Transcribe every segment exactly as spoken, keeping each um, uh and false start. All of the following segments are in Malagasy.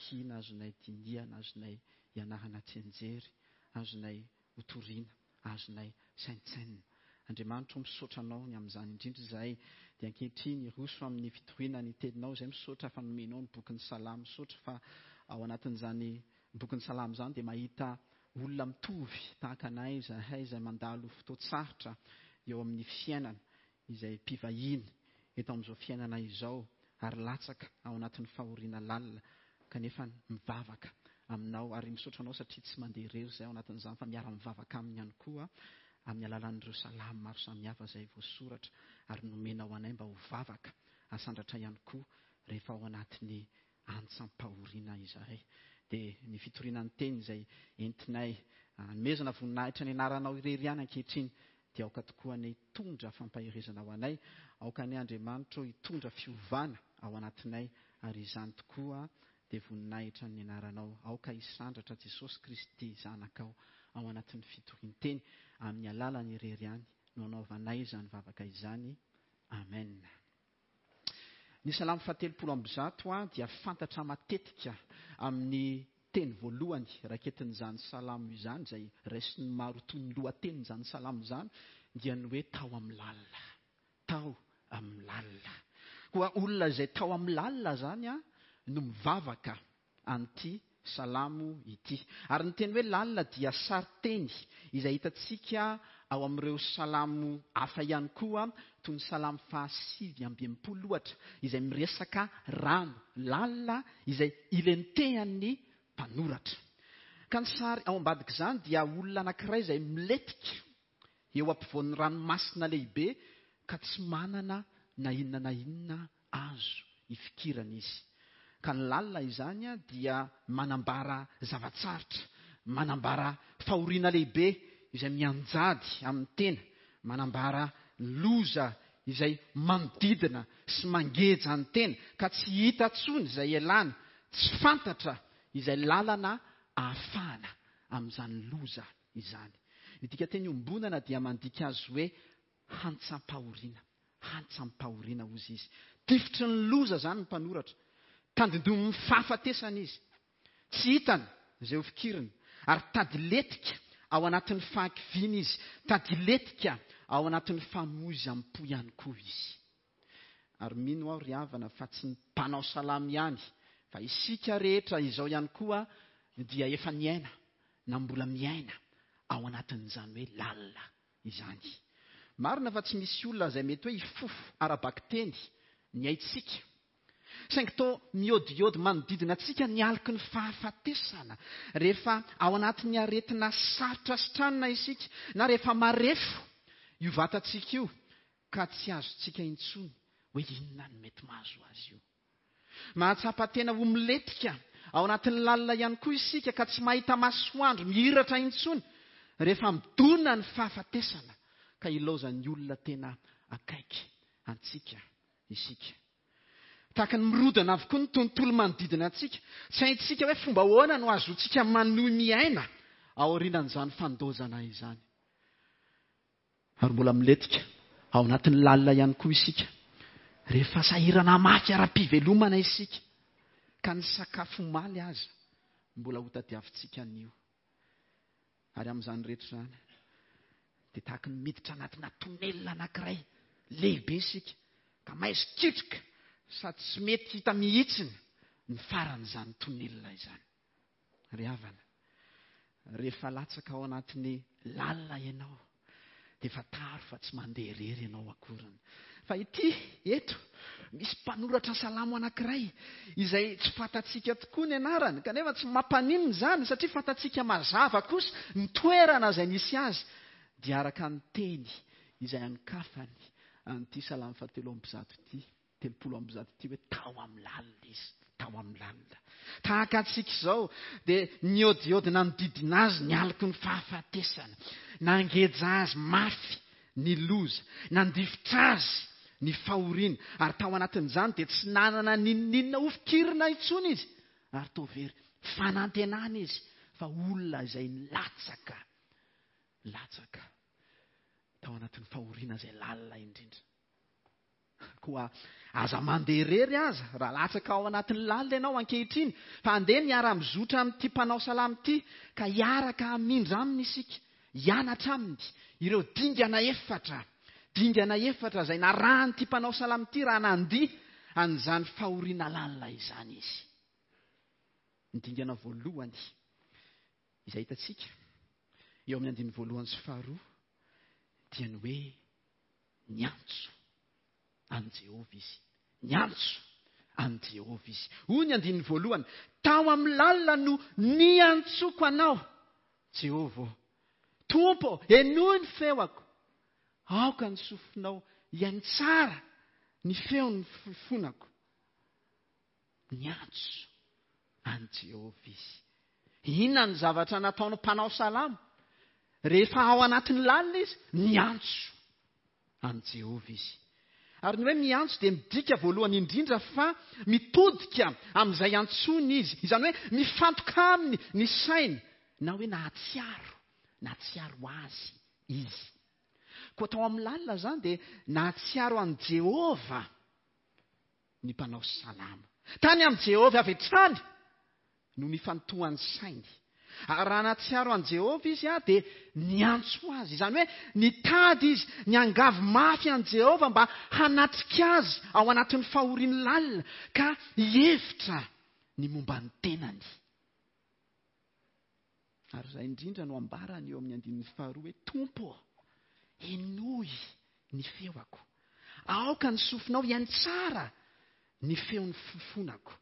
Vakina, azonay dinihana, azonay ianarana tsianjery, azonay hotorina, azonay saintsainina. Andriamanitra, misaotra anao ny amin'izany indrindra izahay. Dia ankehitriny roso amin'ny fitoriana ny teninao izay, misaotra fa nomenao ny bokin'ny Salamo, misaotra fa ao anatin'izany bokin'ny Salamo izany dia mahita olona mitovy tahaka anay izahay izay mandalo fotoan-tsarotra eo amin'ny fiainana, izay mpivahiny eto amin'izao fiainana izao ary latsaka ao anatin'ny fahoriana lalina, kanefa mivavaka aminao. Ary misaotra anao satria tsy mandeha irery izay ao anatin'izany fa miara-mivavaka aminy ihany koa amin'ny alalan'ireo salamo maro samihafa izay voasoratra ary nomenao anay mba ho vavaka asandratra ihany koa rehefa ao anatin'ny antsam-pahoriana izahay. Dia ny fitoriana ny teny izay entinay anomezana voninahitra ny anaranao irery ihany ankehitriny dia aoka tokoa anie hitondra fampaherezana ho anay, aoka anie Andriamanitra hitondra fiovana ao anatinay, ary izany tokoa dia voninahitra ny anaranao. Aoka hisandratra Jesosy Kristy zanakao ao anatin'ny fitorian-teny amin'ny alalany irery ihany no anaovanay izany vavaka izany. Amen. Ny salamo fahatelopolo amby zato dia fantatra matetika amin'ny teny voalohany raketin'izany salamo izany, izay raisin'ny maro toy ny lohatenin'izany salamo izany, dia ny hoe tao amin'ny lalina. Tao amin'ny lalina. Koa olona izay tao amin'ny lalina izany no mivavaka an'ity salamo ity. Ary ny teny hoe lalina dia sarinteny izay hitantsika ao amin'ireo salamo hafa ihany koa, toy ny salamo fahasivy amby enimpolo ohatra, izay miresaka rano lalina izay ilentehan'ny mpanoratra. Ka ny sary ao ambadik'izany dia olona anankiray izay milentika eo ampovoan'ny ranomasina lehibe ka tsy manana na inona na inona azo ifikirana izy. Ka ny lalina izany dia manambara zava-tsarotra, manambara fahoriana lehibe izay mianjady amin'ny tena, manambara loza izay manodidina sy mangeja ny tena ka tsy hita intsony izay ialana, tsy fantatra izay lalana ahafahana amin'izany loza izany. Ny dikanteny iombonana dia mandika azy hoe hantsam-pahoriana, hantsam-pahoriana hozy izy. Tifitry ny loza izany ny mpanoratra, tandindomin'ny fahafatesana izy, tsy hitany izay ho fikirina, ary tadiletika ao anatin'ny fahakiviana izy, tadiletika ao anatin'ny famoizam-po ihany koa izy. Ary mino aho ry havana fa tsy ny mpanao salamo ihany, fa isika rehetra izao ihany koa dia efa niaina na mbola miaina ao anatin'izany hoe lalina izany. Marina fa tsy misy olona izay mety hoe hifofo ara-bakiteny ny aintsika, saingy toa miodiody manodidina antsika ny aloky ny fahafatesana rehefa ao anatin'ny aretina sarotra sitranina isika, na rehefa marefo io vatantsika io ka tsy azontsika intsony hoe inona no mety mahazo azy io. Mahatsapa tena ho milentika ao anatin'ny lalina ihany koa isika ka tsy mahita masoandro mihiratra intsony rehefa midona ny fahafatesana ka ilaozan'ny olona tena akaiky antsika isika. Tahaka ny mirodana avokoa ny tontolo manodidina antsika. Tsy haintsika hoe fomba ahoana no azontsika manohy miaina aorianan'izany fandozana izany. Ary mbola milentika ao anatin'ny lalina ihany koa isika rehefa sahirana mafy ara-pivelomana isika ka ny sakafo omaly aza mbola hotadiavintsika anio. Ary amin'izany rehetra izany dia tahaka ny miditra anatina tonelina anankiray lehibe isika ka maizikitroka sady tsy mety hita mihitsiny ny faran'izany tonelina izany. Ry havana, rehefa latsaka ao anatin'ny lalina ianao dia fantaro fa tsy mandeha irery ianao akoriny. Fa ity eto misy mpanoratra salamo anankiray izay tsy fantatsika tokoa ny anarany, kanefa tsy mampaninona izany satria fantatsika mazava kosa ny toerana izay nisy azy, dia araka ny teny izay anokafany an'ity salamo fahatelo amby zato ity, telopolo amby zato ity, hoe tao amin'ny lalina izy, tao amin'ny lalina. Tahaka antsika izao dia niodiody nanodidina azy ny aloky ny fahafatesana, nangeja azy mafy ny loza, nandifotra azy ny fahoriana, ary tao anatin'izany dia tsy nanana n'inon'inona ho fikirina intsony izy, ary toa very fanantenana izy fa olona izay latsaka, latsaka tao anatin'ny fahoriana izay lalina indrindra. Koa aza mandeha irery aza raha latsaka ao anatin'ny lalina ianao ankehitriny, fa andeha miara-mizotra amin'ity mpanao salamo ity ka hiaraka hamindra aminy isika, hianatra aminy ireo dingana efatra, dingana efatra izay narahan'ity mpanao salamo ity raha nandia an'izany fahoriana lalina izany izy. Ny dingana voalohany izay hitantsika eo amin'ny andininy voalohany sy faharoa dia ny hoe niantso an'i Jehovah izy. Niantso an'i Jehovah izy. Hoy ny andininy voalohany, tao amin'ny lalina no niantsoko anao, Jehovah. Tompo, henoy ny feoko. Aoka ny sofinao hihaino tsara ny feon'ny fifonako. Niantso an'i Jehovah izy. Inona ny zavatra nataon'ny mpanao salamo? Rehefa ao anatin'ny lalina izy, niantso an'i Jehovah izy. Ary ny hoe miantso dia midika voalohany indrindra fa mitodika amin'izay antsoiny izy. Izany hoe mifantoka aminy ny sainy, na hoe nahatsiaro, nahatsiaro azy izy. Koa tao amin'ny lalina izany dia nahatsiaro an'i Jehovah ny mpanao salamo. Tany amin'i Jehovah avy hatrany no nifantohan'ny sainy. Ary raha nahatsiaro an'i Jehovah izy dia niantso azy. Izany hoe nitady izy, niangavy mafy an'i Jehovah mba hanatrika azy ao anatin'ny fahoriany lalina ka hihevitra ny momba ny tenany. Ary izay indrindra no ambarany eo amin'ny andininy faharoa hoe Tompo, henoy ny feoko. Aoka ny sofinao hihaino tsara ny feon'ny fifonako.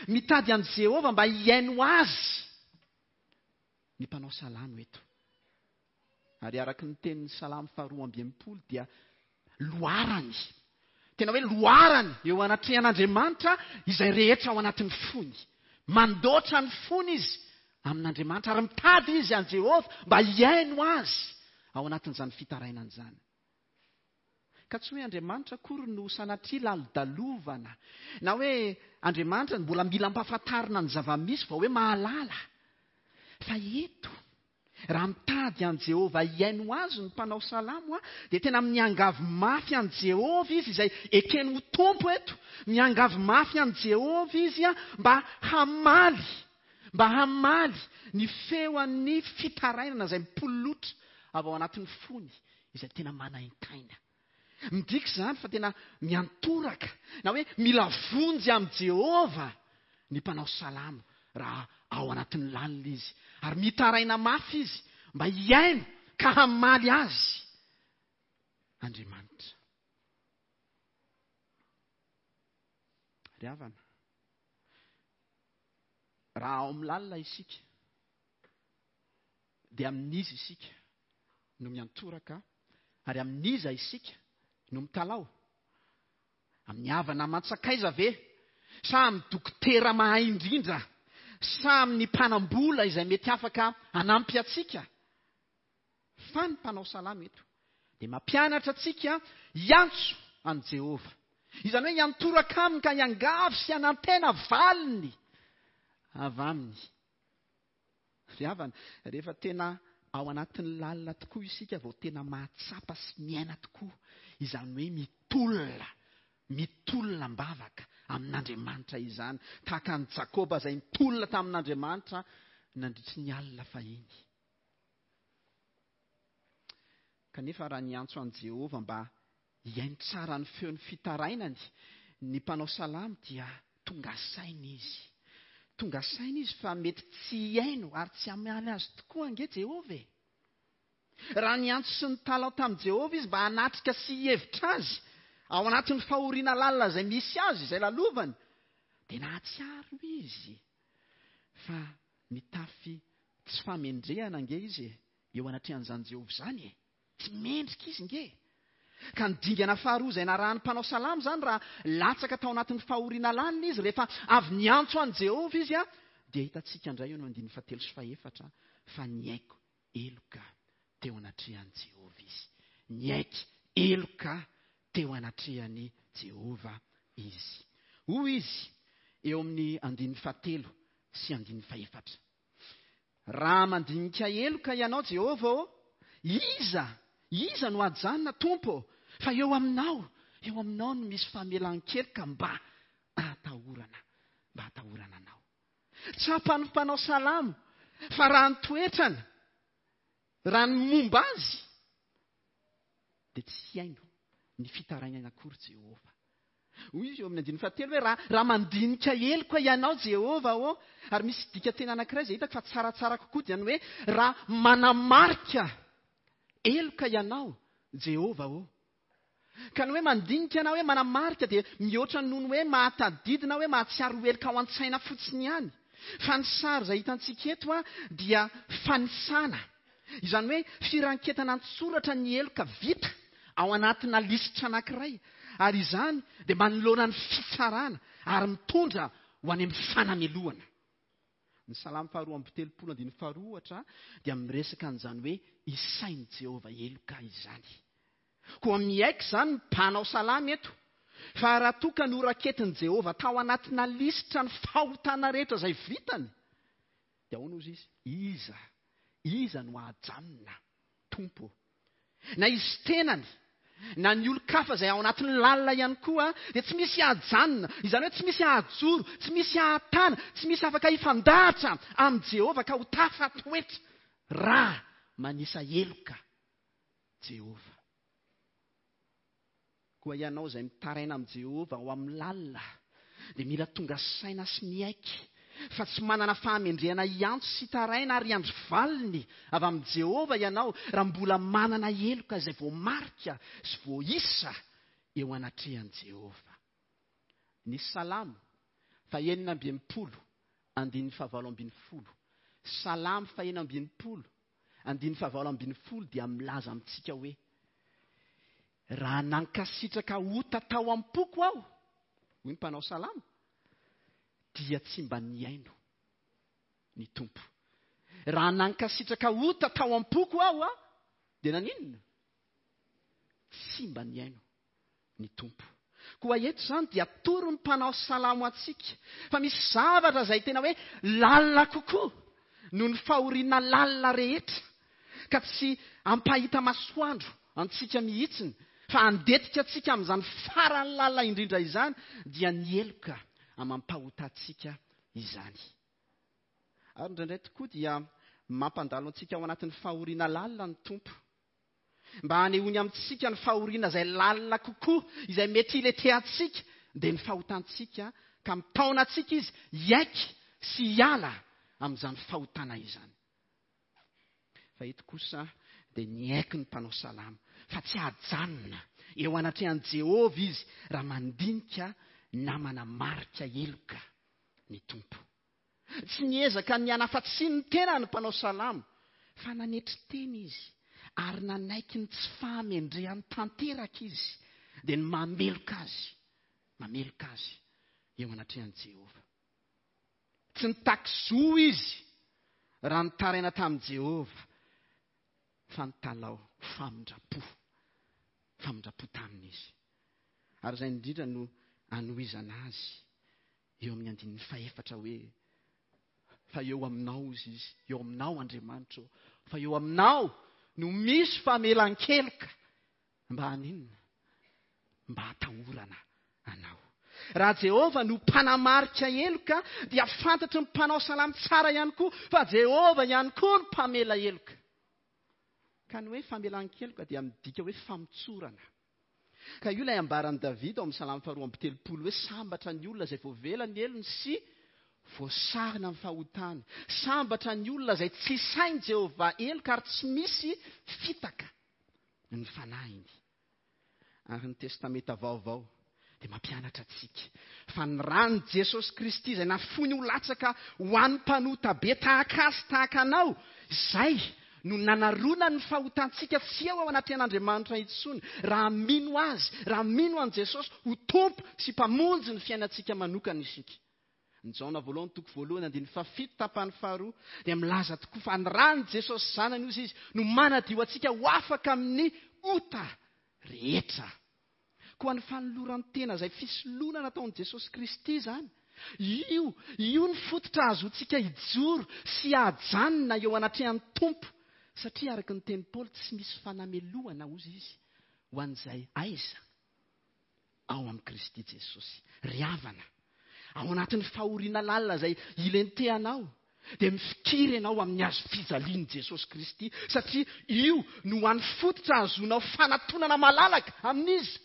Mitady an'i Jehovah mba hihaino azy ny mpanao salamo eto. Ary araka ny tenin'ny salamo faharoa amby enimpolo dia loharany, tena hoe loharany eo anatrehan'Andriamanitra izay rehetra ao anatin'ny fony. Mandoatra ny fony izy amin'Andriamanitra ary mitady izy an'i Jehovah mba hihaino azy ao anatin'izany fitarainana izany. Ka tsy hoe Andriamanitra akory no sanatria lalodalovana, na hoe Andriamanitra mbola mila ampahafantarina ny zava-misy vao hoe mahalala. Fa eto, raha mitady an'i Jehovah hihaino azy ny mpanao salamo, dia tena miangavy mafy an'i Jehovah izy izay ekeny ho Tompo eto. Miangavy mafy an'i Jehovah izy mba hamaly, mba hamaly ny feon'ny fitarainana izay mipololotra avy ao anatin'ny fony, izay tena manaintaina. Midika izany fa tena miantoraka, na hoe mila vonjy amin'i Jehovah ny mpanao salamo raha ao anatin'ny lalina izy. Ary mitaraina mafy izy mba hihaino ka hamaly azy Andriamanitra. Ry havana, raha ao amin'ny lalina isika, dia amin'iza isika no miantoraka, ary amin'iza isika no mitalao? Amin'ny havana aman-tsakaiza ve? Sa amin'ny dokotera mahay indrindra? Sa amin'ny mpanam-bola izay mety afaka hanampy antsika? Fa ny mpanao salamo eto dia mampianatra antsika hiantso an'i Jehovah. Izany hoe hiantoraka aminy ka hiangavy sy hanantena valiny avy aminy. Ry havana, rehefa tena ao anatin'ny lalina tokoa isika vao tena mahatsapa sy miaina tokoa izany hoe mitolona, mitolona am-bavaka amin'Andriamanitra izany, tahaka an'i Jakoba izay nitolona tamin'Andriamanitra nandritry ny alina fahiny. Kanefa raha niantso an'i Jehovah mba hihaino tsara ny feon'ny fitarainany ny mpanao salamo dia tonga saina izy. Tonga saina izy fa mety tsy hihaino ary tsy hamaly azy tokoa ange Jehovah e. Raha niantso sy nitalao tamin'i Jehovah izy mba hanatrika sy hihevitra azy ao anatin'ny fahoriana lalina izay misy azy, izay lalovany, dia nahatsiaro izy fa mitafy tsy fahamendrehana ange izy eo anatrehan'izany Jehovah izany e. Tsy mendrika izy nge. Ka ny dingana faharoa izay narahan'ny mpanao salamo izany raha latsaka tao anatin'ny fahoriana lalina izy rehefa avy niantso an'i Jehovah izy, dia hitantsika indray eo no andininy fahatelo sy fahefatra fa niaiky heloka teo anatrehan'i Jehovah izy. Niaiky heloka teo anatrehan'i Jehovah izy. Hoy izy eo amin'ny andininy fahatelo sy andininy fahefatra. Raha mandinika heloka ianao Jehovah ô, iza, iza no hajanona Tompo? Fa eo aminao Eo aminao no misy famelan-keloka mba ahatahorana, mba ahatahorana anao. Tsapan'ny mpanao salamo fa raha ny toetrany, raha ny momba azy, dia tsy haino ny fitarainana akory Jehovah. Hoy izy eo amin'ny andininy fahatelo hoe raha, raha mandinika heloka ianao Jehovah ô, ary misy dika tena anankiray izay hitako fa tsaratsara kokoa dia ny hoe raha manamarika heloka ianao Jehovah ô. Ka ny hoe mandinika na hoe manamarika dia mihoatra noho ny hoe mahatadidy na hoe mahatsiaro heloka ao an-tsaina fotsiny ihany. Fa ny sary izay hitantsika eto a dia fanisana. Izany hoe firanketana an-tsoratra ny heloka vita ao anatina lisitra anankiray. Ary izany dia manoloana ny fitsarana ary mitondra ho any amin'ny fanamelohana. Ny salamo faharoa amby telopolo andininy faharoa ohatra dia miresaka an'izany hoe isain'i Jehovah heloka izany. Koa miaiky izany ny mpanao salamo eto fa raha toa ka noraketin'i Jehovah tao anatina lisitra ny fahotana rehetra izay vitany, dia ahoana hozy izy? Iza? Iza no hahajanona, Tompo? Na izy tenany, na ny olon-kafa izay ao anatin'ny lalina ihany koa, dia tsy misy hahajanona. Izany hoe tsy misy hahajoro, tsy misy hahatana, tsy misy afaka hifandahatra amin'i Jehovah ka ho tafatoetra raha manisa heloka Jehovah. Koa ianao izay mitaraina amin'i Jehovah ao amin'ny lalina, dia mila tonga saina sy miaiky fa tsy manana fahamendrehana hiantso sy taraina ary hiandry valiny avy amin'i Jehovah ianao raha mbola manana heloka izay voamarika sy voaisa eo anatrehan'i Jehovah. Ny salamo fahenina amby enimpolo andininy fahavalo ambin'ny folo. Salamo fahenina amby enimpolo andininy fahavalo ambin'ny folo dia milaza amintsika hoe raha nankasitraka ota tao am-poko aho, hoy ny mpanao salamo, dia tsy mba nihaino ny Tompo. Raha nankasitraka ota tao am-poko aho, a, dia naninona? Tsy mba nihaino ny Tompo. Koa eto izany dia atoro ny mpanao salamo antsika fa misy zavatra izay tena hoe lalina kokoa noho ny fahoriana lalina rehetra, ka tsy ampahita masoandro antsika mihitsiny fa handetika antsika amin'izany farany lalina indrindra izany, dia ny heloka amam-pahotantsika izany. Ary indraindray tokoa dia mampandalo antsika ao anatin'ny fahoriana lalina ny Tompo, mba hanehoany amintsika ny fahoriana izay lalina kokoa, izay mety hiletehantsika, dia ny fahotantsika, ka mitaona antsika izy hiaiky sy hiala amin'izany fahotana izany. Fa eto kosa dia niaiky ny mpanao salamo fa tsy hajanona eo anatrehan'i Jehovah izy raha mandinika na manamarika heloka ny Tompo. Tsy niezaka ny hanafatsiny ny tenany ny mpanao salamo, fa nanetry tena izy ary nanaiky ny tsy fahamendrehany tanteraka izy, dia ny mameloka azy, mameloka azy eo anatrehan'i Jehovah. Tsy nitaky zo izy raha nitaraina tamin'i Jehovah, fa nitalao famindram-po, famindram-po taminy izy. Ary izay indrindra no anohizana azy eo amin'ny andininy fahefatra hoe fa eo aminao izy izy, eo aminao Andriamanitra, fa eo aminao no misy famelan-keloka mba haninona? Mba hatahorana anao. Raha Jehovah no mpanamarika heloka, dia fantatry ny mpanao salamo tsara ihany koa fa Jehovah ihany koa no mpamela heloka. Ka ny hoe famelan-keloka dia midika hoe famotsorana. Ka io ilay ambaran'i Davida ao amin'ny salamo faharoa amby telopolo hoe sambatra ny olona izay voavela ny helony sy voasarona amin'ny fahotany. Sambatra ny olona izay tsy sain'i Jehovah heloka ary tsy misy fitaka ny fanahiny. Ary ny Testamenta Vaovao dia mampianatra antsika fa ny ran'i Jesosy Kristy izay nafoiny ho latsaka ho an'ny mpanota be tahaka azy tahaka anao, izay no nanaronany ny fahotantsika tsy eo ao anatrehan'Andriamanitra intsony, raha mino azy, raha mino an'i Jesosy ho Tompo sy Mpamonjy ny fiainantsika manokana isika. Ny Jaona voalohany toko voalohany andininy fahafito tapany faharoa dia milaza tokoa fa ny ran'i Jesosy zanany ozy izy no manadio antsika ho afaka amin'ny ota rehetra. Koa ny fanoloran-tena izay fisoloana nataon'i Jesosy Kristy izany, io, io ny fototra ahazoantsika hijoro sy hajanona eo anatrehan'ny Tompo, satria araka ny tenin'i Paoly tsy misy fanamelohana ozy izy ho an'izay aiza ao amin'i Kristy Jesosy. Ry havana, ao anatin'ny fahoriana lalina izay ilentehanao, dia mifikiry ianao amin'ny hazo fijalian'i Jesosy Kristy, satria io no hany fototra ahazoanao fanatonana malalaka amin'iza?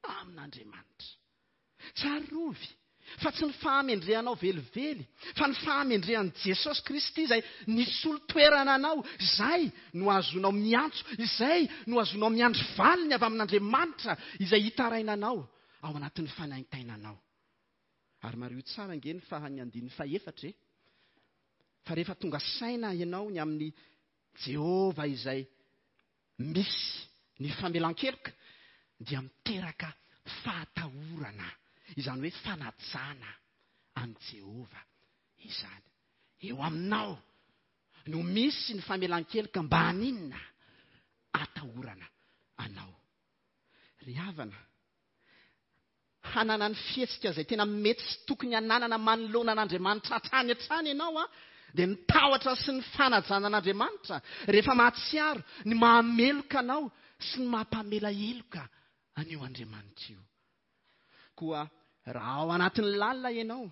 Amin'Andriamanitra. Tsarovy fa tsy ny fahamendrehanao velively, fa ny fahamendrehan'i Jesosy Kristy izay nisolo toerana anao, izay no ahazoanao miantso, izay no ahazoanao miandry valiny avy amin'Andriamanitra izay hitarainanao ao anatin'ny fanaintainanao. Ary mariho tsara ange ny faran'ny andininy fahefatra e. Fa rehefa tonga saina ianao ny amin'ny Jehovah izay misy ny famelan-keloka, dia miteraka fahatahorana, izany hoe fanajana an'i Jehovah izany. Eo aminao no misy ny famelan-keloka mba haninona? Atahorana anao. Ry havana, hanana ny fihetsika izay tena mety sy tokony hananana manoloana an'Andriamanitra hatrany hatrany ianao a, dia ny tahotra sy ny fanajana an'Andriamanitra rehefa mahatsiaro ny mahameloka anao sy ny mampamela heloka an'io Andriamanitra io. Koa raha ao anatin'ny lalina ianao,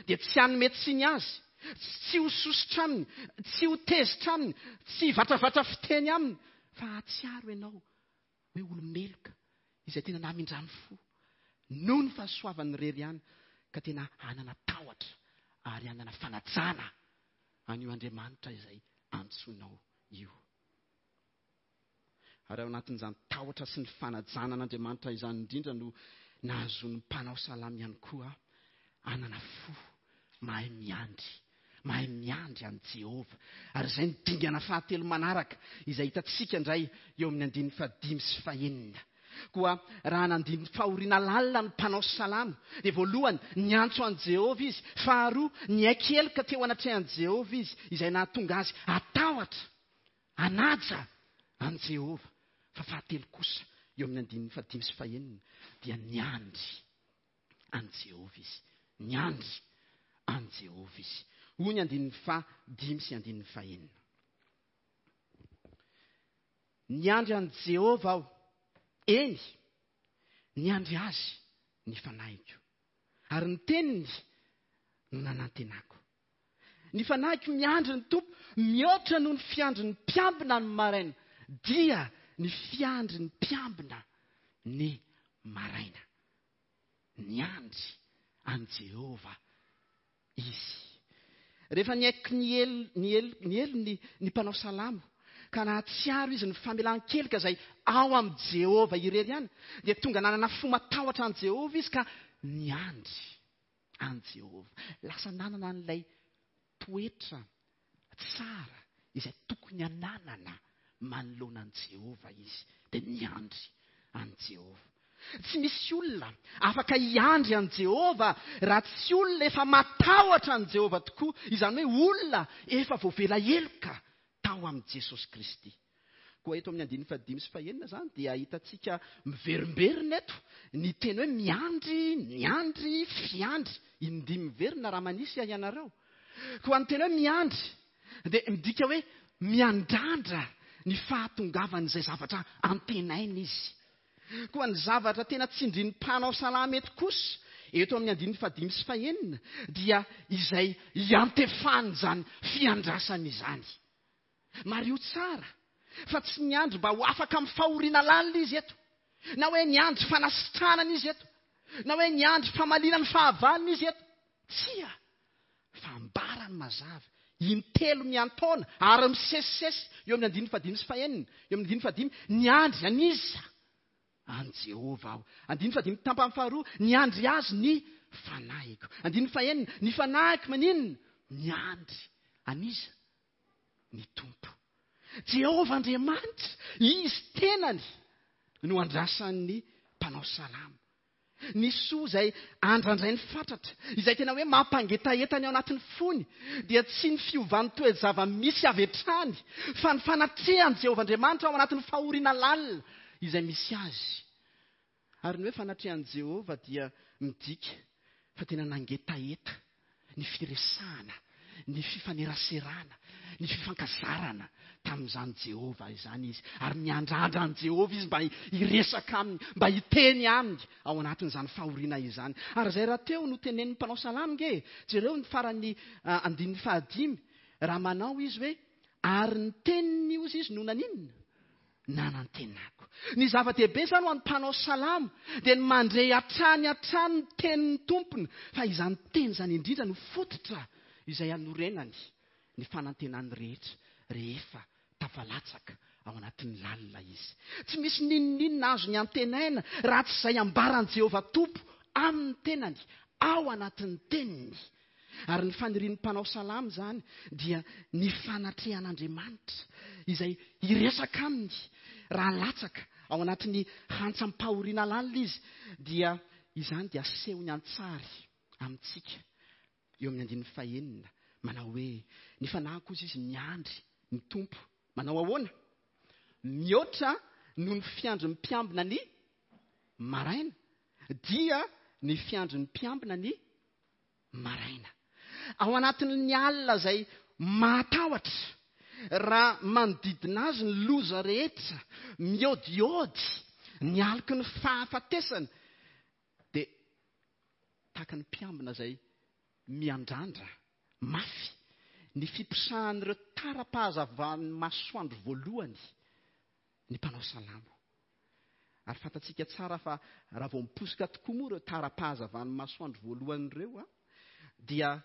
dia tsy hanome tsiny azy, tsy ho sosotra aminy, tsy ho tezitra aminy, tsy hivatravatra fiteny aminy, fa hahatsiaro ianao hoe olo-meloka izay tena namindrany fo noho ny fahasoavany irery ihany, ka tena hanana tahotra ary hanana fanajana an'io Andriamanitra izay antsoinao io. Ary ao anatin'izany tahotra sy ny fanajana an'Andriamanitra izany indrindra no nahazoan'ny mpanao salamo ihany koa hanana fo mahay miandry, mahay miandry an'i Jehovah. Ary izay ny dingana fahatelo manaraka izay hitantsika indray eo amin'ny andininy fahadimy sy fahenina. Koa raha nandiny fahoriana lalina ny mpanao salamo, dia voalohany niantso an'i Jehovah izy, faharoa niaiky heloka teo anatrehan'i Jehovah izy, izay nahatonga azy hatahotra, hanaja an'i Jehovah. Fa fahatelo kosa eo amin'ny andininy fahadimy sy fahenina dia niandry an'i Jehovah izy, niandry an'i Jehovah izy. Hoy ny andininy fahadimy sy andininy fahenina. Niandry an'i Jehovah aho, eny, niandry azy ny fanahiko, ary ny teniny no nanantenako. Ny fanahiko miandry ny Tompo mihoatra noho ny fiandry ny mpiambina ny maraina, dia ny fiandry ny mpiambina ny maraina. Niandry an'i Jehovah izy. Rehefa niaiky ny helo, ny helo, ny helony ny mpanao salamo, ka nahatsiaro izy ny famelan-keloka izay ao amin'i Jehovah irery ihany, dia tonga nanana fo matahotra an'i Jehovah izy ka niandry an'i Jehovah. Lasa nanana an'ilay toetra tsara izay tokony hananana manoloana an'i Jehovah izy, dia niandry an'i Jehovah. Tsy misy olona afaka hiandry an'i Jehovah raha tsy olona efa matahotra an'i Jehovah tokoa, izany hoe olona efa voavela heloka tao amin'i Jesosy Kristy. Koa eto amin'ny andininy fahadimy sy fahenina izany dia hitantsika miverimberina eto ny teny hoe miandry, miandry, fiandry. Indimy miverina raha manisy ianareo. Koa ny teny hoe miandry dia midika hoe miandrandra ny fahatongavan'izay zavatra antenaina izy. Koa ny zavatra tena tsindrin'ny mpanao salamo eto kosa eto amin'ny andininy fahadimy sy fahenina dia izay iantefan'izany fiandrasana izany. Mariho tsara fa tsy niandry mba ho afaka amin'ny fahoriana lalina izy eto, na hoe niandry fanasitranana izy eto, na hoe niandry famaliana ny fahavalony izy eto. Tsia, fa ambarany mazava intelo miantaona ary misesisesy eo amin'ny andininy fahadimy sy fahenina, eo amin'ny andininy fahadimy, niandry an'iza? An'i Jehovah aho. Andininy fahadimy tampany faharoa, niandry azy ny fanahiko. Andininy fahenina, ny fanahiko maninona? Niandry an'iza? Ny Tompo. Jehovah Andriamanitra, izy tenany no andrasan'ny mpanao salamo. Ny soa izay andrandrainy fatratra, izay tena hoe mampangetaheta ny ao anatin'ny fony, dia tsy ny fiovan'ny toe-java-misy avy hatrany, fa ny fanatrehan'i Jehovah Andriamanitra ao anatin'ny fahoriana lalina izay misy azy. Ary ny hoe fanatrehan'i Jehovah dia midika fa tena nangetaheta ny firesahana, ny fifaneraserana, ny fifankazarana tamin'izany Jehovah izany izy. Ary miandrandra an'i Jehovah izy mba hiresaka aminy, mba hiteny aminy ao anatin'izany fahoriana izany. Ary izay rahateo no tenenin'ny mpanao salamo nge. Jereo ny faran'ny andininy fahadimy, raha manao izy hoe ary ny teniny ozy izy no naninona? Nanantenako. Ny zava-dehibe izany ho an'ny mpanao salamo dia ny mandre hatrany hatrany ny tenin'ny tompony, fa izany teny izany indrindra no fototra izay anorenany ny fanantenany rehetra rehefa tafalatsaka ao anatin'ny lalina izy. Tsy misy n'inon'inona azony antenaina raha tsy izay ambaran'i Jehovah Tompo amin'ny tenany ao anatin'ny teniny. Ary ny fanirian'ny mpanao salamo izany dia ny fanatrehan'Andriamanitra izay hiresaka aminy raha latsaka ao anatin'ny hantsam-pahoriana lalina izy, dia izany dia asehony an-tsary amintsika eo amin'ny andininy fahenina, manao hoe ny fanahiko ozy izy miandry ny Tompo. Manao ahoana? Mihoatra noho ny fiandrin'ny mpiambina ny maraina, dia ny fiandrin'ny mpiambina ny maraina. Ao anatin'ny alina izay mahatahotra, raha manodidina azy ny loza rehetra, miodiody ny aloky ny fahafatesana, dia tahaka ny mpiambina izay miandrandra mafy ny fiposahan'ireo tara-pahazavan'ny masoandro voalohany ny mpanao salamo. Ary fantatsika tsara fa raha vao miposoka tokoa moa ireo tara-pahazavan'ny masoandro voalohany ireo, dia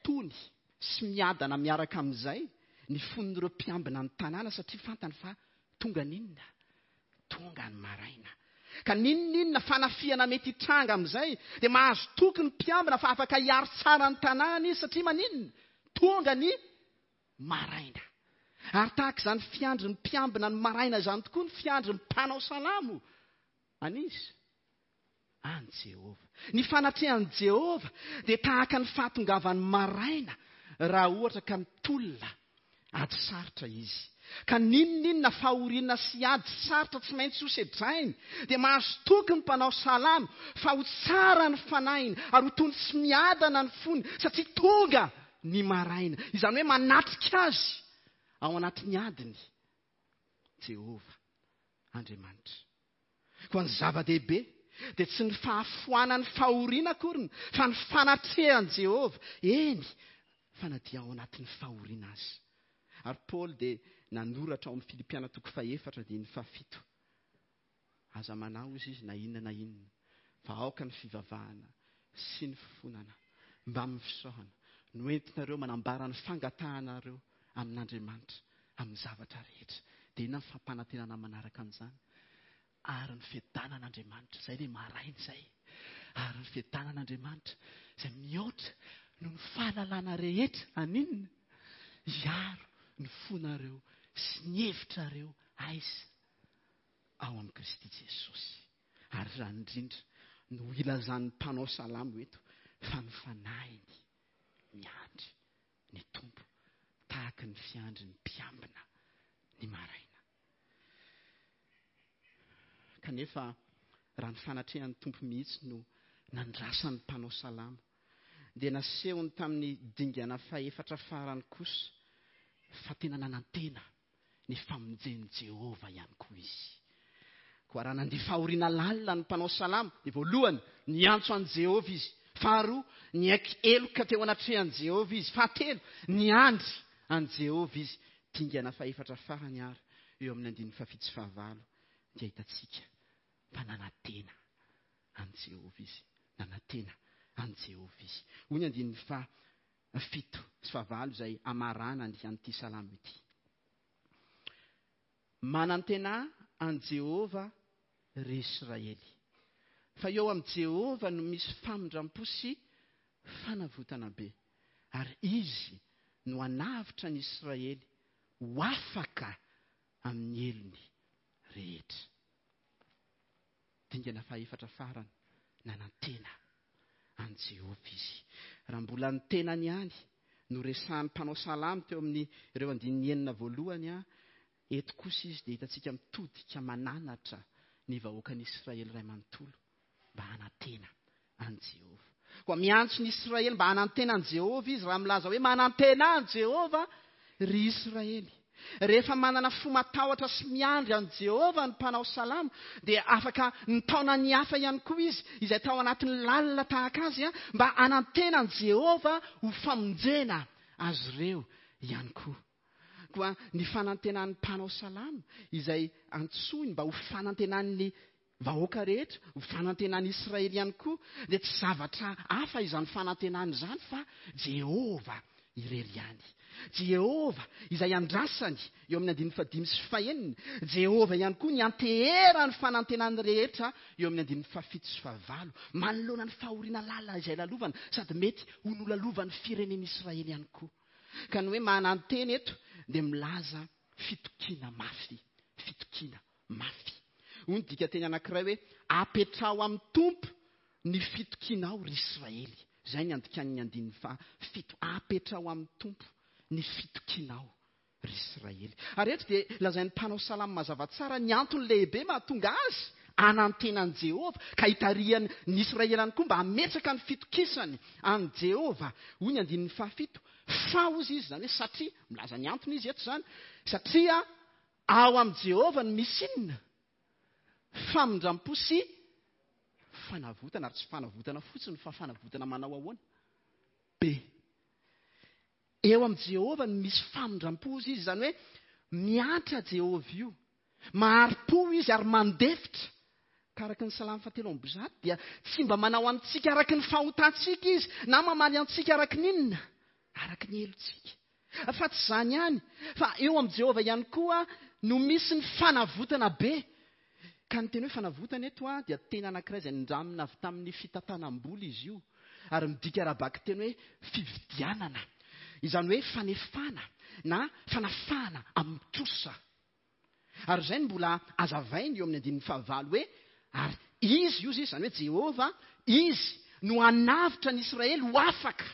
tony sy miadana miaraka amin'izay ny fon'ireo mpiambina ny tanàna, satria fantany fa tonga n'inona? Tonga ny maraina. Ka n'inon'inona fanafihana mety hitranga amin'izay, dia mahazo toky ny mpiambina fa afaka hiaro tsara ny tanàna izy, satria maninona? Tonga ny maraina. Ary tahaka izany fiandry ny mpiambina ny maraina izany tokoa ny fiandry ny mpanao salamo an'izy? An'i Jehovah. Ny fanatrehan'i Jehovah dia tahaka ny fahatongavan'ny maraina raha ohatra ka mitolona ady sarotra izy. Ka n'inon'inona fahoriana sy ady sarotra tsy maintsy ho sedrainy, dia mahazo toky ny mpanao salamo fa ho tsara ny fanahiny ary ho tony sy miadana ny fony, satria tonga ny maraina. Izany hoe manatrika azy ao anatin'ny adiny Jehovah Andriamanitra. Koa ny zava-dehibe dia tsy ny fahafoanan'ny fahoriana akoriny, fa ny fanatrehan'i Jehovah, eny fa na dia ao anatin'ny fahoriana azy. Ary Paoly dia nanoratra ao amin'ny Filipiana toko fahefatra andininy fahafito. Aza manao izy izy na inona na inona, fa aoka ny fivavahana sy ny fifonana mbamin'ny fisaorana no entinareo manambara ny fangatahanareo amin'Andriamanitra amin'ny zavatra rehetra. Dia inona ny fampanantenana manaraka an'izany? Ary ny fiadanan'Andriamanitra, izay ilay maraina izay. Ary ny fiadanan'Andriamanitra izay mihoatra noho ny fahalalana rehetra aninona? Hiaro ny fonareo sy ny hevitrareo aiza? Ao amin'i Kristy Jesosy. Ary izany indrindra no ilazan'ny mpanao salamo eto fa ny fanahiny miandry ny Tompo tahaka ny fiandry ny mpiambina ny maraina. Kanefa raha ny fanatrehan'ny Tompo mihitsy no nandrasan'ny mpanao salamo, dia nasehony tamin'ny dingana fahefatra farany kosa fa tena nanantena ny famonjen'i Jehovah ihany koa izy. Koa raha nandia fahoriana lalina ny mpanao salamo, dia voalohany niantso an'i Jehovah izy. Faharoa, niaiky heloka teo anatrehan'i Jehovah izy. Fahatelo, niandry an'i Jehovah izy. Dingana fahefatra farany ary eo amin'ny andininy fahafito sy fahavalo dia hitantsika fa nanantena an'i Jehovah izy. Nanantena an'i Jehovah izy. Hoy ny andininy fahafito sy fahavalo izay amaranany an'ity salamo ity. Manantena an'i Jehovah ry Israely, fa eo amin'i Jehovah no misy famindram-po sy fanavotana be, ary izy no hanavotra ny Israely ho afaka amin'ny helony rehetra. Dingana fahefatra farany, nanantena an'i Jehovah izy. Raha mbola ny tenany ihany no resahan'ny mpanao salamo teo amin'ny ireo andininy enina voalohany, eto kosa izy dia hitantsika mitodika mananatra ny vahoakan'Israely iray manontolo mba hanantena an'i Jehovah. Koa miantso ny Israely mba hanantena an'i Jehovah izy. Raha milaza hoe manantena an'i Jehovah ry Israely. Rehefa manana fo matahotra sy miandry an'i Jehovah ny mpanao salamo, dia afaka nitaona ny hafa ihany koa izy, izay tao anatin'ny lalina tahaka azy, mba hanantena an'i Jehovah ho famonjena azy ireo ihany koa. Koa ny fanantenan'ny mpanao salamo, izay antsoiny mba ho fanantenan'ny vahoaka rehetra, ho fanantenan'ny Israely ihany koa, dia tsy zavatra hafa izany fanantenana izany fa Jehovah irery ihany. Jehovah izay andrasany eo amin'ny andininy fahadimy sy fahenina. Jehovah ihany koa ny anteherany fanantenany rehetra eo amin'ny andininy fahafito sy fahavalo, manoloana ny fahoriana lalina izay lalovana sady mety ho nolalovan'ny firenen'Israely ihany koa. Ka ny hoe manantena eto dia milaza fitokiana mafy, fitokiana mafy. Hoy ny dikanteny anankiray hoe apetraho amin'ny Tompo ny fitokianao ry Israely. Izay ny andikan'ny andininy fahafito. Apetraho amin'ny Tompo ny fitokianao ry Israely. Ary eto dia lazain'ny mpanao salamo mazava tsara ny antony lehibe mahatonga azy hanantena an'i Jehovah, ka hitarihany ny Israely ihany koa mba hametraka ny fitokisany an'i Jehovah. Hoy ny andininy fahafito, fa hozy izy, izany hoe satria, milaza ny antony izy eto izany, satria ao amin'i Jehovah no misy inona? Famindram-po sy fanavotana, ary tsy fanavotana fotsiny fa fanavotana manao ahoana? Be. Eo amin'i Jehovah no misy famindram-po izy, izany hoe miantra Jehovah io. Mahari-po izy ary mandefitra. Ka araka ny salamo fahatelo amby zato dia tsy mba manao antsika araka ny fahotantsika izy, na mamaly antsika araka ny inona? Araka ny helotsika. Fa tsy izany ihany, fa eo amin'i Jehovah ihany koa no misy ny fanavotana be. Ka ny teny hoe fanavotana eto a dia teny anankiray izay nindramina avy tamin'ny fitantanam-bola izy io, ary midika ara-bakiteny hoe fividianana, izany hoe fanefana na fanafahana amin'ny trosa. Ary izay no mbola azavainy eo amin'ny andininy fahavalo hoe ary izy io izy, izany hoe Jehovah, izy no hanavotra ny Israely ho afaka.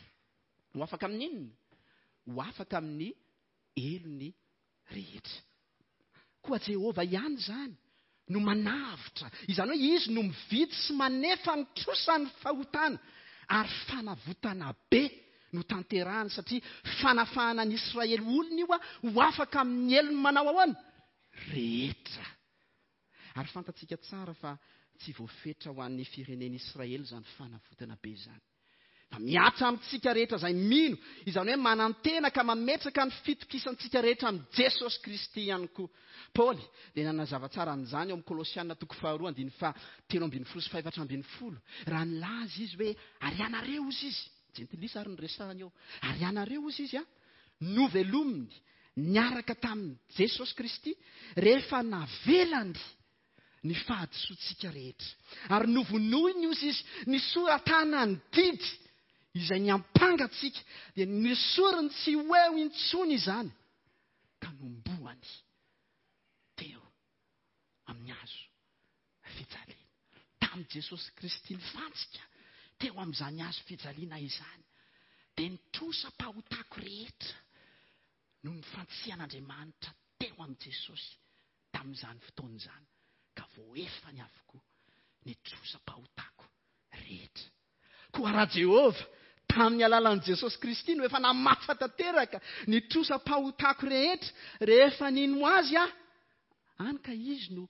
Ho afaka amin'ny inona? Ho afaka amin'ny helony rehetra. Koa Jehovah ihany izany no manavotra, izany hoe izy no mividy sy manefa ny trosan'ny fahotana, ary fanavotana be no tanterahany, satria fanafahana ny Israely olona io ho afaka amin'ny helony manao ahoana? Rehetra. Ary fantatsika tsara fa tsy voafetra ho an'ny firenen'Israely izany fanavotana be izany. Fa mihatra amintsika rehetra izay mino, izany hoe manantena ka mametraka ny fitokisantsika rehetra amin'i Jesosy Kristy ihany koa. Paoly dia nanazava tsara an'izany ao amin'ny Kolosiana toko faharoa andininy fahatelo ambin'ny folo sy fahefatra ambin'ny folo, raha nilaza izy hoe ary ianareo ozy izy, jentilisa ary ny resahany eo, ary ianareo ozy izy a, novelominy niaraka tamin'i Jesosy Kristy rehefa navelany ny fahadisoantsika rehetra. Ary novonoiny ozy izy, nisoratana ny didy izay niampanga antsika, dia nesoriny tsy ho eo intsony izany, ka nomboany teo amin'ny hazo fijaliana. Tamin'i Jesosy Kristy nifantsika teo amin'izany hazo fijaliana izany, dia ny trosam-pahotako rehetra no nifantsihan'Andriamanitra teo amin'i Jesosy tamin'izany fotoana izany, ka voaefany avokoa ny trosam-pahotako rehetra. Koa raha Jehovah tamin'ny alalan'i Jesosy Kristy no efa namafa tanteraka ny trosam-pahotako rehetra rehefa nino azy aho, any ka izy no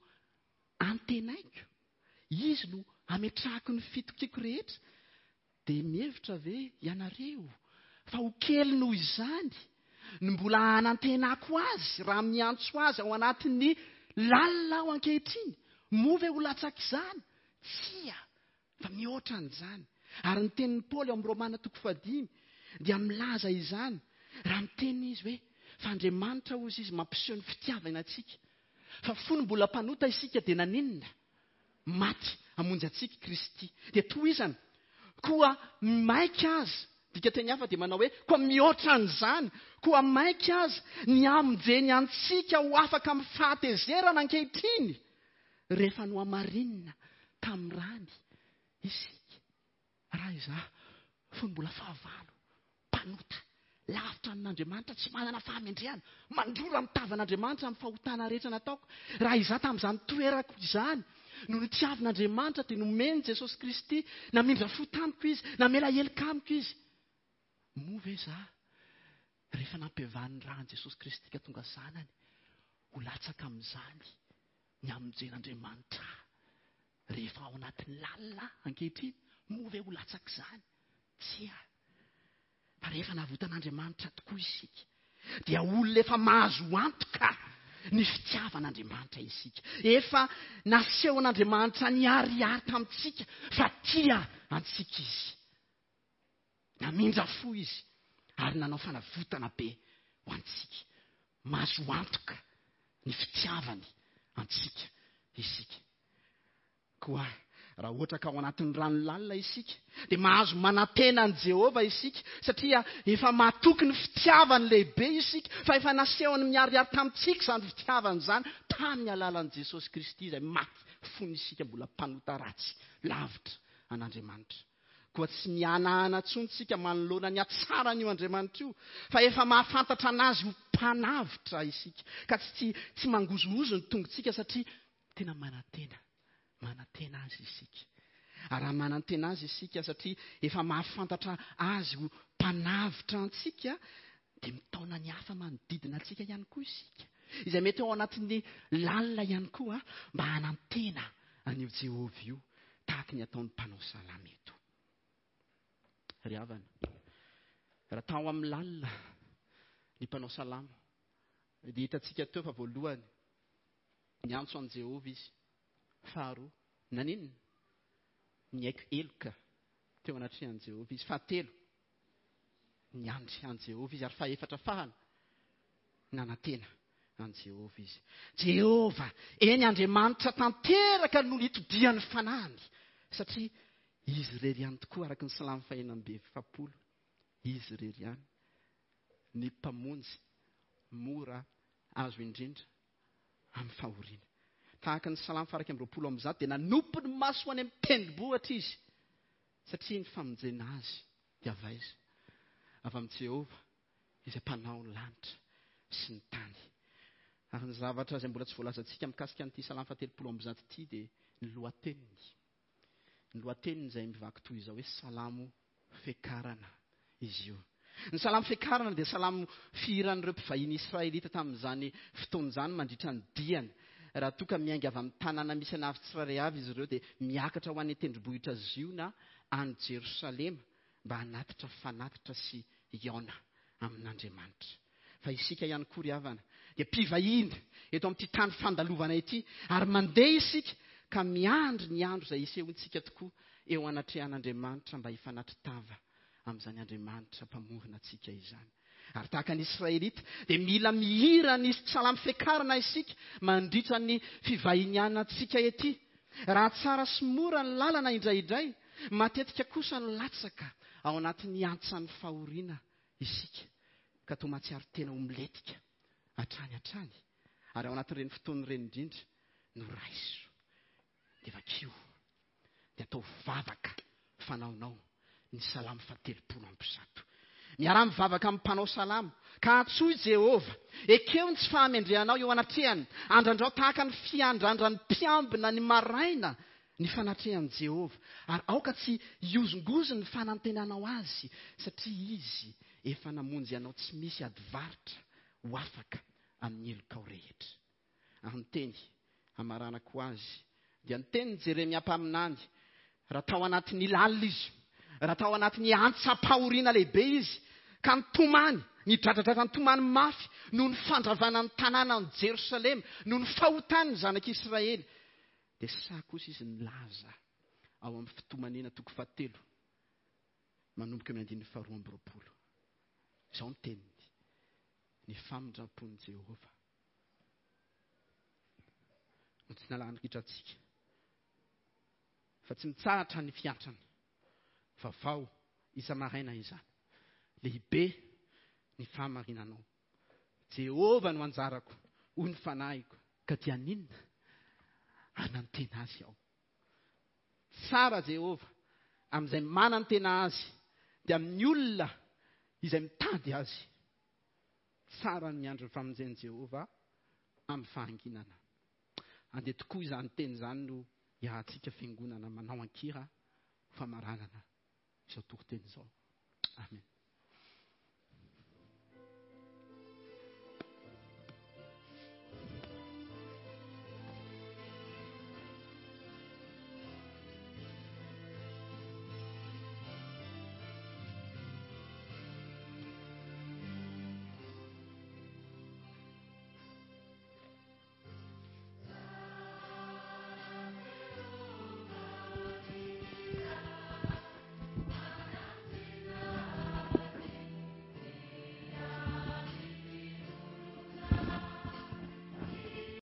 antenaiko, izy no ametrahako ny fitokiako rehetra, dia mihevitra ve ianareo fa ho kely noho izany no mbola hanantenako azy raha miantso azy ao anatin'ny lalina aho ankehitriny? Moa ve ho latsaka izany? Tsia, fa mihoatra an'izany. Ary ny tenin'i Paoly ao amin'ny Romana toko fahadimy dia milaza izany raha miteny izy hoe fa Andriamanitra hozy izy mampiseho ny fitiavana antsika, fa fony mbola mpanota isika dia naninona? Maty hamonjy antsika Kristy. Dia tohizana, koa maika azy, dika teny hafa dia manao hoe koa mihoatra an'izany, koa maika azy ny hamonjeny antsika ho afaka amin'ny fahatezerana ankehitriny rehefa nohamarinina tamin'ny rany isika. Raha izaho fony mbola fahavalo, mpanota, lavitra amin'Andriamanitra, tsy manana fahamendrehana, mandrora amin'ny tavan'Andriamanitra amin'ny fahotana rehetra nataoko, raha izaho tamin'izany toerako izany no notiavin'Andriamanitra, dia nomeny Jesosy Kristy, namindra fo tamiko izy, namela heloka amiko izy, moa ve izaho Rehefa nampiavahan'ny ran'i Jesosy Kristy ka tonga zanany, ho latsaka amin'izany ny hamonjen'Andriamanitra. Rehefa ao anatin'ny lalina ankehitriny, moa ve ho latsaka izany? Tsia. Fa rehefa navotan'Andriamanitra tokoa isika, dia olona efa mahazo antoka ny fitiavan'Andriamanitra isika. Efa nasehon'Andriamanitra niharihary tamintsika fa tia antsika izy. Namindra fo izy ary nanao fanavotana be ho antsika. Mahazo antoka ny fitiavany antsika isika. Koa raha ohatra ka ao anatin'ny rano lalina isika, dia mahazo manantena an'i Jehovah isika, satria efa matoky ny fitiavany lehibe isika, fa efa nasehony miharihary tamintsika izany fitiavany izany tamin'ny alalan'i Jesosy Kristy izay maty fony isika mbola mpanota ratsy lavitra an'Andriamanitra. Koa tsy mihanahana intsony isika manoloana ny hatsaran'io Andriamanitra io, fa efa mahafantatra anazy ho mpanavotra isika, ka tsy, tsy mangozohozo ny tongotsika satria tena manantena. Manantena azy isika. Ary raha manantena azy isika satria efa mahafantatra azy ho mpanavotra antsika, dia mitaona ny hafa manodidina antsika ihany koa isika, izay mety ao anatin'ny lalina ihany koa, mba hanantena an'io Jehovah io, tahaka ny ataon'ny mpanao salamo eto. Ry havana, raha tao amin'ny lalina ny mpanao salamo, dia hitantsika teo fa voalohany niantso an'i Jehovah izy. Faharoa, naninona? Niaiky heloka teo anatrehan'i Jehovah izy. Fahatelo, niandry an'i Jehovah izy. Ary fahefatra farany, nanantena an'i Jehovah izy. Jehovah, eny Andriamanitra tanteraka no nitodian'ny fanahiny, satria izy irery ihany tokoa, araka ny salamo fahenina amby efapolo, izy irery ihany ny mpamonjy mora azo indrindra amin'ny fahoriana. Tahaka ny salamo faha iraika amby roapolo amby zato, dia nanompo ny maso any amin'ny tendrombohitra izy, satria ny famonjena azy dia avy aiza? Avy amin'i Jehovah, izay mpanao ny lanitra sy ny tany. Ary ny zavatra izay mbola tsy voalazantsika mikasika an'ity salamo fahatelopolo amby zato ity dia ny lohateniny. Ny lohateniny izay mivaky toy izao hoe salamo fiakarana izy io. Ny salamo fiakarana dia salamo fihiran'ireo mpivahiny israelita tamin'izany fotoana izany mandritra ny diany. Raha toa ka miainga avy amin'ny tanàna misy anavy tsirairay avy izy ireo, dia miakatra ho any an-tendrombohitra Ziona any Jerosalema mba hanatitra fanatitra sy hihaona amin'Andriamanitra. Fa isika ihany koa ry havana dia mpivahiny eto amin'ity tany fandalovana ity, ary mandeha isika ka miandry ny andro izay hisehoantsika tokoa eo anatrehan'Andriamanitra mba hifanatri-tava amin'izany Andriamanitra mpamorona antsika izany. Ary tahaka ny Israelita dia mila mihira ny salamo fiakarana isika mandritra ny fivahinianantsika ety. Raha tsara sy mora ny lalana indraindray, matetika kosa no latsaka ao anatin'ny antsan'ny fahoriana isika, ka toa mahatsiaro tena ho milentika hatrany hatrany. Ary ao anatin'ireny fotoana ireny indrindra no raiso, dia vakio, dia atao vavaka fanaonao ny salamo fahatelopolo amby zato. Miaraha mivavaka amin'ny mpanao salamo, ka antsoy Jehovah. Ekeo ny tsy fahamendrehanao eo anatrehany. Andrandrao tahaka ny fiandrandran'ny mpiambina ny maraina ny fanatrehan'i Jehovah. Ary aoka tsy hiozongozony ny fanantenanao azy, satria izy efa namonjy anao tsy misy adivarotra ho afaka amin'ny helokao rehetra. Ary ny teny hamaranako azy dia ny tenin'i Jeremia mpaminany, raha tao anatin'ny lalina izy, raha tao anatin'ny antsam-pahoriana lehibe izy, ka nitomany, nidradradratra nitomany mafy noho ny fandravana ny tanànan'i Jerosalema, noho ny fahotany ny zanak'Israely, dia sahy kosa izy nilaza ao amin'ny fitomanina toko fahatelo, manomboka amin'ny andininy faharoa amby roapolo. Izao ny teniny, ny famindram-pon'i Jehovah no tsy nalahany ritra antsika, fa tsy mitsahatra ny fiantrany, vaovao isa-maraina izany. Lehibe ny fahamarinanao. Jehovah no anjarako, hoy ny fanahiko, ka dia ninona hanantena azy aho. Tsara Jehovah amin'izay manantena azy, dia amin'ny olona izay mitady azy. Tsara ny miandry ny famonjen'i Jehovah amin'ny fahanginana. Andeha tokoa izany teny izany no iarahantsika fiangonana manao an-kira famaranana izao toriteny izao. Amen.